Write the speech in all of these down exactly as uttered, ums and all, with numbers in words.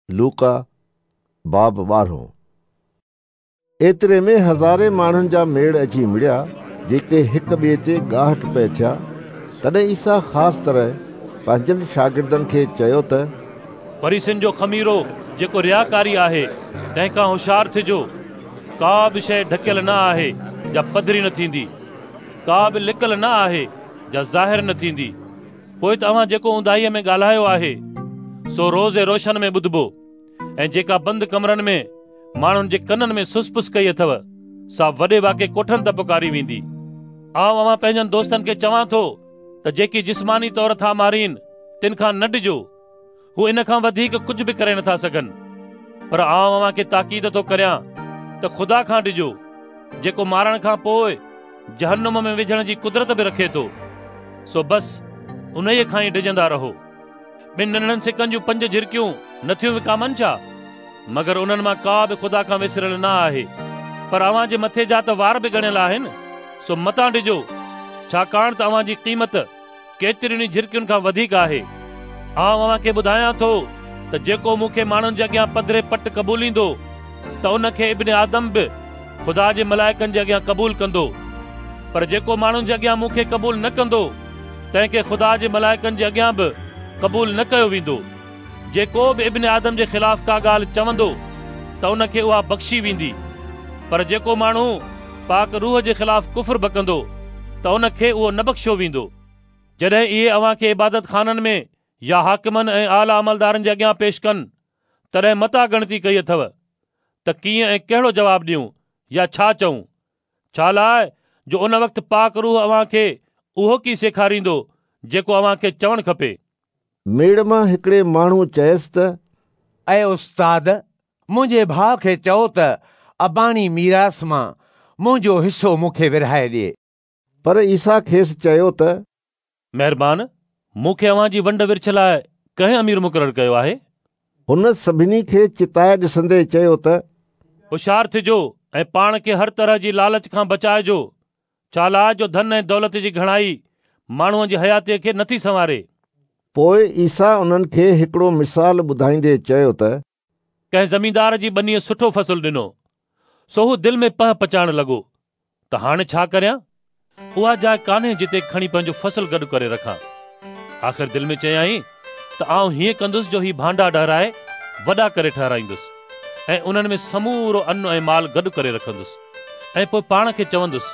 لوڪا باب ٻارهون. ايتري ۾ هزارين ماڻهن جا ميڙ اچي مڙيا، جيڪي هڪ ٻئي تي ڳاهٽ پئي ٿيا. تڏهن عيسيٰ خاص طرح پنهنجن شاگردن کي چيو ته فريسين جو خميرو جيڪو رياڪاري آهي تنهن کان هوشيار ٿجو. ڪا به شيءِ ڍڪيل نه آهي جا پڌري نه ٿيندي، ڪا به لڪل نه آهي جا ظاهر نه ٿيندي. پوءِ ته اوهان جيڪو اونداهيءَ ۾ ڳالهايو آهي سو روز روشن ۾ ٻڌبو، ۽ جيڪا بند ڪمرن ۾ ماڻهن جي ڪنن ۾ سس پس ڪئي اٿو سا وڏي واڪي ڪوٺن تي پڪاري ويندي. آئون اوهان پنهنجن دوستن کي چوان ٿو ته جيڪي جسماني طور ٿا مارين تن کان نه ڊڄو، هو ان کان وڌيڪ ڪجهه به ڪري نٿا سگهن. پر آئون اوهان کي تاڪيد ٿو ڪريان ته خدا کان ڊڄو، جيڪو مارڻ کان پوءِ جهنم ۾ وجهڻ جي قدرت به رکي ٿو. سو بس انهيءَ کان ئي ڊڄندا رهو. ٻن ننڍڙن سڪن جون پنج جهرڪيون نٿيون وڪامن ڇا؟ مگر انهن مان ڪا به خدا کان وسريل نه آهي. پر اوهان جي مٿي جا ته وار به ڳڻيل آهن. سو متان ڊڄو، ڇاڪاڻ ته اوهان جي قيمت ڪيترين ئي جهرڪين کان وڌيڪ آهي. آئون اوهان کي ٻڌايان ٿو ته جيڪو مون کي ماڻهن جي اڳيان پڌري پٽ قبوليندو ته ان کي ابن آدم به خدا جي ملائڪن جي اڳيان قبول ڪندو. پر جيڪو ماڻهن جي اڳيان مون کي قبول نه ڪندو تنهن کي خدا جي ملائڪن جي اڳيان به قبول نه ڪيو ويندو. جيڪو به ابن آدم جي خلاف ڪا ڳالهه چوندو ته ان کي اها بخشي ويندي، پر جيڪو ماڻهو پاڪ روح جي خلاف ڪفر بڪندو ته ان کي اهو نه بخشيو ويندو. جڏهن اهي اوهان کي عبادت خانن ۾ يا حاڪمن ۽ اعليٰ عملدارن جي اڳيان پيش ڪن، تڏهن متان ڳڻتي ڪئي اٿو ته ڪيئن ۽ ڪهڙو جواب ڏيون يا ڇا چئون، ڇا لاءِ جو ان وقت پاڪ روح اوهان کي اهو ڪي سيکاريندو جيڪو اوهان کي چوڻ کپي. ميڙ مان هڪڙي ماڻهوءَ چيس ته اي استاد، منهنجي ڀاءُ کي چئو ته اباڻي ميراث مان منهنجو حصو مون کي ورهائي ڏئي. پر عيسيٰ کيس چيو ته مهربان، مون کي اوهان جي ونڊ ورڇ لاءِ ڪنهن امير مقرر ڪيو آهي؟ هن سڀني کي چتائي ڏسندي چيو ته هوشيار ٿجو ۽ پاڻ کي هر طرح جي لالچ کان بچائجو، ڇا لاءِ جو ڌن ۽ دولت جي گهڻائي ماڻهوءَ جي حياتيءَ کي نٿي سنواري. پوءِ عيسيٰ انهن کي هڪڙو مثال ٻڌائيندي چيو ته ڪنهن زميندار جي ٻنيءَ سٺو فصل ڏنو، سو هو دل ۾ پهه پچائڻ لڳو ته هاڻي ڇا ڪريان؟ اها جاءِ ڪانهي جتي کڻي پنهنجو فصل گڏ ڪري رکان. آخر دل ۾ چيائين ته آئون هيئن ڪندس جو هي ڀانڊا ڊهرائي وڏا ڪري ٺهرائيندس ۽ انهن ۾ سمورو ان ۽ مال گڏ ڪري رکندس، ۽ پوءِ پاڻ کي چوندس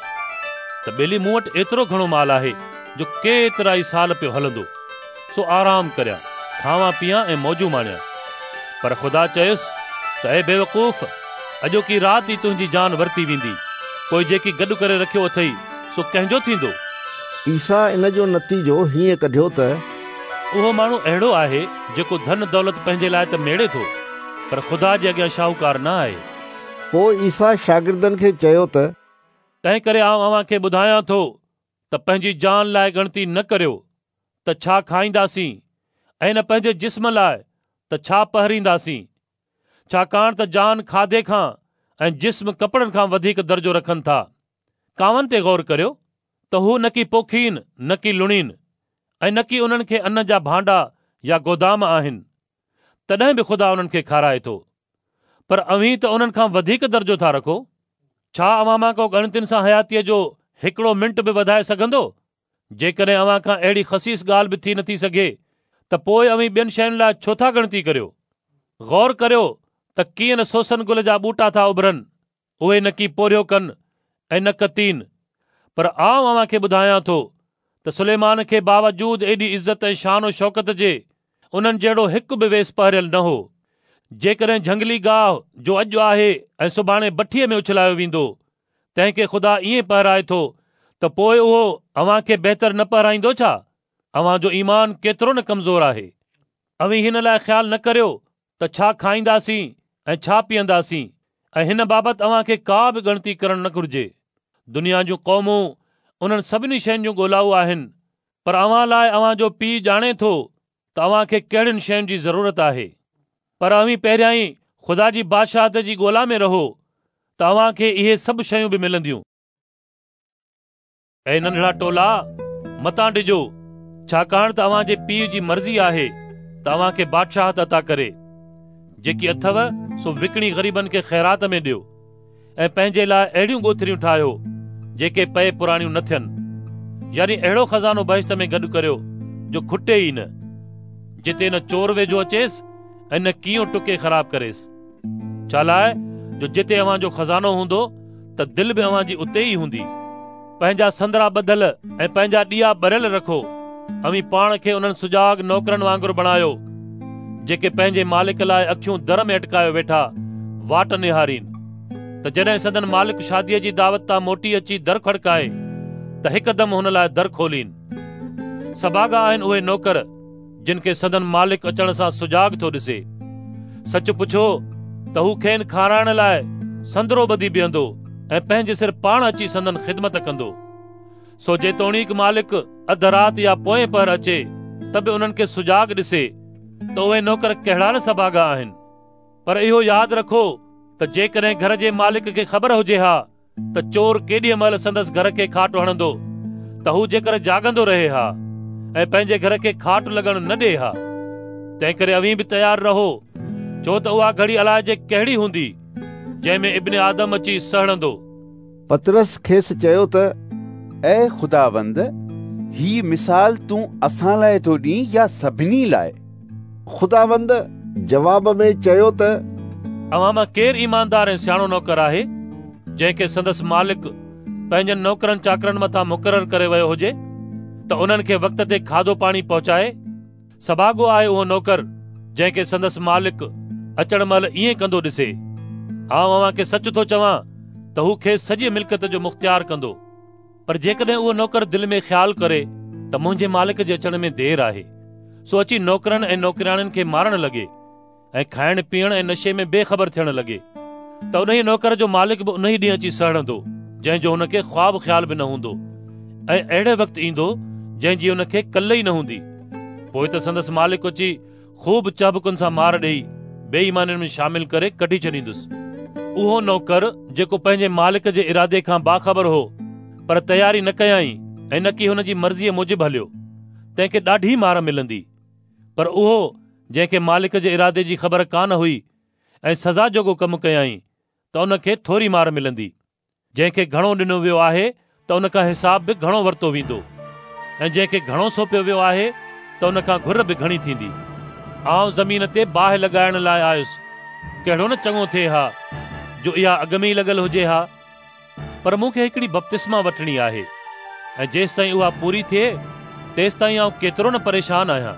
ته ٻيلي مون وٽ ايترو گهڻو مال آهي جو ڪيترا ئي سال پيو هلندو، سو آرام ڪريان، کاوان پيان ۽ موجون ماڻيان. پر خدا چيس ته اي بيوقوف، اڄوڪي رات ئي تنهنجي جان ورتي ويندي، پوءِ جيڪي گڏ ڪري رکيو اٿئي سو ڪنهن جو ٿيندو؟ عيسيٰ ان جو نتيجو هيئن ڪڍيو ته اهو ماڻهو اهڙو آهي جيڪو ڌن دولت پنهنجي لاءِ ته ميڙي ٿو، پر خدا جي اڳيان شاهوڪار نه آهي. پوءِ عيسيٰ شاگردن کي چيو ته تنهن ڪري آئون اوهان کي ٻڌايان ٿو ته پنهنجي جان لاءِ ڳڻتي نه ڪريو ته ڇا کائينداسين، ۽ نه پنهنجي جسم لاءِ ته ڇا پهرينداسين. ڇاڪاڻ ته جان کاڌي کان ۽ جسم ڪپڙن کان وڌيڪ درجو رکن ٿا. ڪانون تي غور ڪريو ته هو نه ڪي پوکين نه ڪي لڻين، ۽ نه ڪي انهن کي ان جا ڀانڊا يا گودام آهن، تڏهن به خدا انهن کي کارائي ٿو. پر اوهين ته انهن کان وڌيڪ درجو ٿا رکو. ڇا اوهان مان ڪو ڳڻتين سان حياتيءَ جو هڪڙو منٽ به وڌائي سگهندو؟ جيڪڏهن اوهان کان اهڙي خسيس ڳالهه به ٿي نٿي سگهي ته پوءِ اوهين ٻين شين لاءِ ڇو ٿا ڳڻتي ڪريو؟ غور ڪريو ته ڪيئن نه سوسن گل جا ٻوٽا ٿا اڀرن، اهي نه ڪي پورهيو ڪن ۽ نه ڪتين. پر آئون اوهان کي ٻڌايان ٿو ته سليمان کي باوجود ايڏي عزت ۽ شان و شوڪت جي انهن جهڙو هڪ به ويس پهريل نه هو. جيڪڏهن جهنگلي گاهه جو اڄ آهي ۽ سڀاڻي بٺيءَ ۾ اڇلايو ويندو، تنهن کي خدا ائين پهرائي ٿو ته پوءِ اهو اوهان کي بهتر نه پهرائيندو ڇا؟ اوهان جو ايمان ڪيترو نه ڪمزور آهي. اوهين هن لاءِ خيال نه ڪريو ته ڇا کائينداسين ۽ ڇا پيئنداسين، ۽ هن بابت اوهان کي ڪا به ڳڻتي ڪرڻ نه گهرجي. دنيا جون قومون انهن سڀني شين جون ڳولائو آهن، پر اوهان لاءِ اوهان جو پيءُ ڄاڻي ٿو ته اوهان کي ڪهڙين شين جي ضرورت آهي. پر اوهين پهريان ئي خدا جي بادشاهت جي ڳولا ۾ رهو ته اوهان کي اهي سڀ شيون به ملنديون. اي ننڍڙا ٽولا، متان ڊڄو، ڇاڪاڻ ته اوهان جي پيءُ جي مرضي آهي ته اوهان کي بادشاهت عطا ڪري. جيڪي اٿو سو وڪڻي غريبن کي خيرات ۾ ڏيو ۽ پنهنجي لاءِ اهڙيون ڳوٿريون ٺاهيو جيڪي پئي پراڻيون نه ٿين، يعني اهڙو خزانو بهشت ۾ گڏ ڪريو جو کٽي ئي نه، جتي نه چور ويجهو اچيس ۽ نه ڪيئون ٽڪي خراب ڪريس. ڇا لاءِ جو جتي اوهان جو خزانو هوندو ته دل به اوهان جي اتي ئي هوندي. پنهنجا سندرا ٻڌل ۽ پنهنجا ڏيئا ٻريل رکو. اوهين پاڻ کي انهن سجاڳ نوڪرن وانگر بڻايو جيڪي پنهنجي مالڪ لاءِ اکيون در ۾ اٽڪايو ويٺا واٽ نهارين، ته جڏهن سندن مالڪ شاديءَ جي دعوت تان موٽي اچي در کڙڪائي ته هڪدم هن لاءِ در کولين. سڀاڳا آهن اهي نوڪر جن کي سندن مالڪ اچڻ سان سجاڳ ٿو ڏسي. سچ پڇو ته هو کين کارائڻ لاءِ سندرو ٻڌي بيهندو ۽ پنهنجي سر پاڻ اچي سندن خدمت ڪندو. سو جيتوڻيڪ مالڪ اڌ رات يا پوئين پهر اچي ته به انهن کي سجاڳ ڏسي ته اهي نوڪر ڪهڙا نه سڀاڳا آهن. پر اهو ياد رکو ته جيڪڏهن گهر جي مالڪ کي خبر هجي ها ته چور ڪيڏيءَ مهل سندس گهر کي کاٽ هڻندو ته هو جيڪر جاڳندو رهي ها ۽ پنهنجي گهر کي کاٽ لڳڻ نه ڏئي ها. تنهن ڪري اوهين به تيار رهو، ڇو ته اها گهڙي الائجي ڪهڙي هوندي جنهن ۾ ابن آدم اچي سهڙندو. پطرس کيس چيو ته اي خداوند، هي مثال تون اسان لاءِ ٿو ڏئين يا سڀني لاءِ؟ خداوند جواب ۾ چيو ته اوهان مان ڪير ايماندار ۽ سياڻو نوڪر آهي جنهن کي سندس مالڪ پنهنجن نوڪرن چاڪرن مٿان مقرر ڪري ويو هجي ته انهن کي وقت تي کاڌو پاڻي پهچائي؟ سڀاڳو آهي اهو نوڪر جنهن کي سندس مالڪ اچڻ مهل ائين ڪندو ڏسي. آئون اوهان کي سچ ٿو چوان ته هو کيس سڄي ملڪيت جو مختيار ڪندو. پر جيڪڏهن اهو نوڪر دل ۾ خيال ڪري ته منهنجي مالڪ جي اچڻ ۾ دير آهي، سو اچي نوڪرن ۽ نوڪرياڻين کي مارڻ لڳي ۽ کائڻ پيئڻ ۽ نشي ۾ بيخبر ٿيڻ لڳي، ته انهيءَ نوڪر جو مالڪ به انهيءَ ڏينهن اچي سهڙندو جنهن جو هن کي خواب خيال به نه هوندو، ۽ اهڙي وقت ايندو جنهن جي هن کي ڪل ئي نه هوندي. پوءِ ته سندس مالڪ اچي خوب چابڪن سان مار ڏيئي بيايمانن ۾ شامل ڪري ڪڍي ڇڏيندس. اهو نوڪر جيڪو پنهنجي مالڪ جي ارادي کان باخبر هو پر تياري نه ڪيائين ۽ نه ڪي هن جي مرضيءَ موجب هليو، تنهن کي ڏاڍي مار ملندي. پر اهو جنهن کي مالڪ جي ارادي جي خبر ڪانه هئي ۽ سزا جوڳو ڪم ڪيائين ته ان کي ٿوري مار ملندي. جنهن کي گهڻو ڏنو ويو آهي ته ان کان حساب به گهڻو ورتو ويندو، ۽ جنهن کي گهڻو سونپيو ويو آهي ته ان کان گهر به گهڻي ٿيندي. آئون زمين تي باهه لڳائڻ لاءِ آيس، ڪهڙو نه چڱو ٿئي ها جو اها اڳ ۾ ئي لڳل هجي ها. پر مون کي هڪڙي بپتسما وٺڻي آهي ۽ جيستائين اها پوري ٿئي تيستائين آئون ڪيترو نه پريشان آهيان.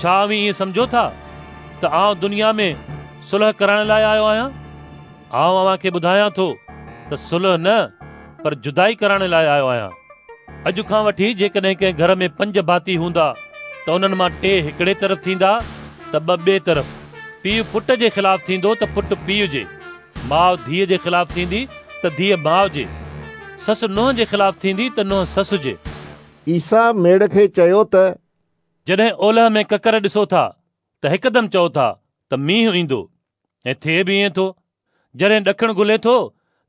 ڇا اوهين ائين سمجهو ٿا ته آئون دنيا ۾ صلح ڪرائڻ لاءِ آيو آهيان؟ آئون اوهان کي ٻڌايان ٿو ته صلح نه پر جدائي ڪرائڻ لاءِ آيو آهيان. اڄ کان وٺي جيڪڏهن ڪنهن گهر ۾ پنج ڀاتي هوندا ته انهن مان ٽي هڪڙي طرف ٿيندا ته ٻه ٻئي طرف. پيءُ پٽ جي خلاف ٿيندو ته پٽ پيءُ جي، ماءُ ڌيءَ جي خلاف ٿيندي ته ڌيءَ ماءُ جي، سس ننهن جي خلاف ٿيندي ته ننهن سس جي. عيسيٰ ميڙ کي چيو ته جڏهن اولهه ۾ ڪڪر ڏسو ٿا ته هڪدم چئو ٿا ته مينهن ايندو، ۽ ٿئي به ائين ٿو. جڏهن ڏکڻ گهلي ٿو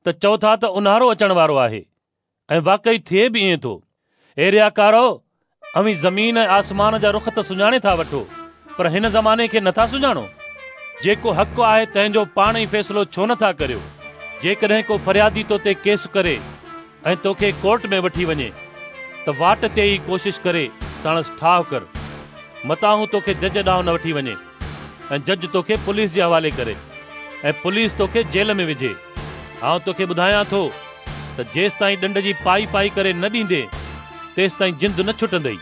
ته چئو ٿا ته اونهارو اچڻ وارو آهي، ۽ واقعي ٿئي به ائين ٿو. اي رياڪارو، اوهين زمين ۽ آسمان جا رخ ته سڃاڻي ٿا وٺو، پر هن زماني کي نٿا سڃاڻو. جيڪو حق آهي تنهن جو پاڻ ئي فيصلو ڇو نٿا ڪريو؟ جيڪڏهن ڪو فريادي تو تي ڪيس ڪري ۽ توکي ڪورٽ ۾ وٺي وڃي ته واٽ تي ئي ڪوشش ڪري ساڻس ٺاهه ڪر، متان هو توکي جج ڏانهن نه وٺي وڃي ۽ جج توکي پوليس جي حوالي ڪري ۽ پوليس توکي جيل ۾ وجهي. آئون توکي ٻڌايان ٿو ته جيستائين ڏنڊ جي پائي پائي ڪري نه ڏيندي تيستائين جند نه ڇٽندئي.